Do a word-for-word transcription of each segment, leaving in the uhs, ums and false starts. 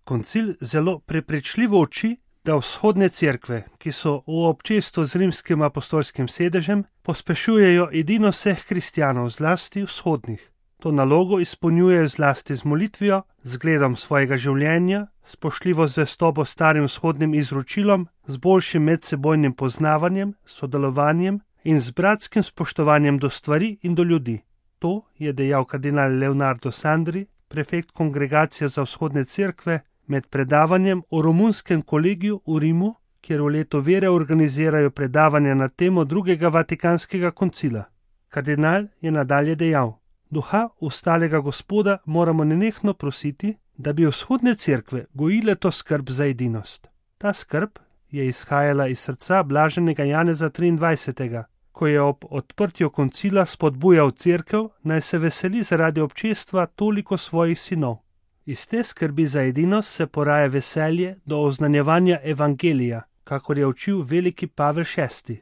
Koncil zelo prepričljivo uči, da vzhodne cerkve, ki so v občestvu z rimskim apostolskim sedežem, pospešujejo edino vseh kristjanov, zlasti vzhodnih. To nalogo izpolnjujejo zlasti z molitvijo, zgledom svojega življenja, spoštljivo zvestobo starim vzhodnim izročilom, z boljšim medsebojnim poznavanjem, sodelovanjem in z bratskim spoštovanjem do stvari in do ljudi. To je dejal kardinal Leonardo Sandri, prefekt Kongregacije za vzhodne cerkve, med predavanjem o romunskem kolegiju v Rimu, kjer v letu vere organizirajo predavanja na temo drugega vatikanskega koncila. Kardinal je nadalje dejal: Duha ustalega Gospoda moramo nenehno prositi, da bi vzhodne cerkve gojile to skrb za edinost. Ta skrb je izhajala iz srca blaženega Janeza triindvajsetega, ko je ob odprtju koncila spodbujal cerkev, naj se veseli zaradi občestva toliko svojih sinov. Iz te skrbi za edinost se poraja veselje do oznanjevanja evangelija, kakor je učil veliki Pavel šesti.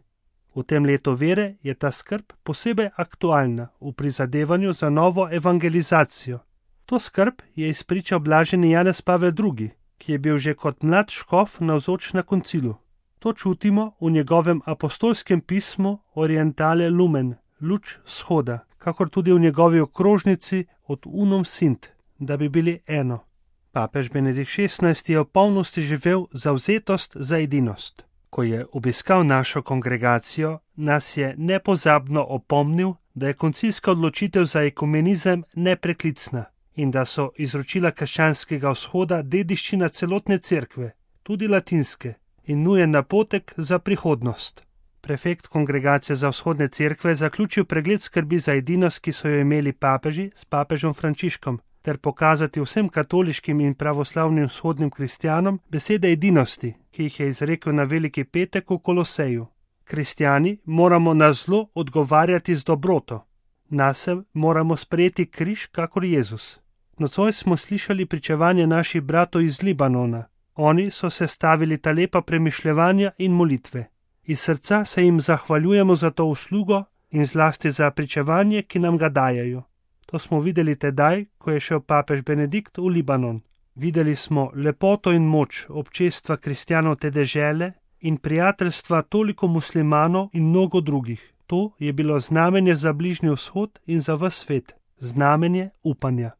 V tem letu vere je ta skrb posebej aktualna v prizadevanju za novo evangelizacijo. To skrb je izpričal blaženi Janez Pavel drugi, ki je bil že kot mlad škof navzoč na koncilu. To čutimo v njegovem apostolskem pismu Orientale Lumen, luč vzhoda, kakor tudi v njegovi okrožnici Od unum sint, da bi bili eno. Papež Benedikt šestnajsti je v polnosti živel zavzetost za edinost. Ko je obiskal našo kongregacijo, nas je nepozabno opomnil, da je koncilska odločitev za ekumenizem nepreklicna in da so izročila krščanskega vzhoda dediščina celotne cerkve, tudi latinske, in nujen napotek za prihodnost. Prefekt Kongregacije za vzhodne cerkve je zaključil pregled skrbi za edinost, ki so jo imeli papeži s papežem Frančiškom, ter pokazati vsem katoliškim in pravoslavnim vzhodnim kristjanom besede edinosti, ki jih je izrekel na Veliki petek v Koloseju. Kristjani moramo na zlo odgovarjati z dobroto. Nase moramo sprejeti križ kakor Jezus. Nocoj smo slišali pričevanje naših bratov iz Libanona. Oni so sestavili ta lepa premišljevanja in molitve. Iz srca se jim zahvaljujemo za to uslugo in zlasti za pričevanje, ki nam ga dajajo. To smo videli tedaj, ko je šel papež Benedikt v Libanon. Videli smo lepoto in moč občestva kristjanov te dežele in prijateljstva toliko muslimanov in mnogo drugih. To je bilo znamenje za Bližnji vzhod in za ves svet, znamenje upanja.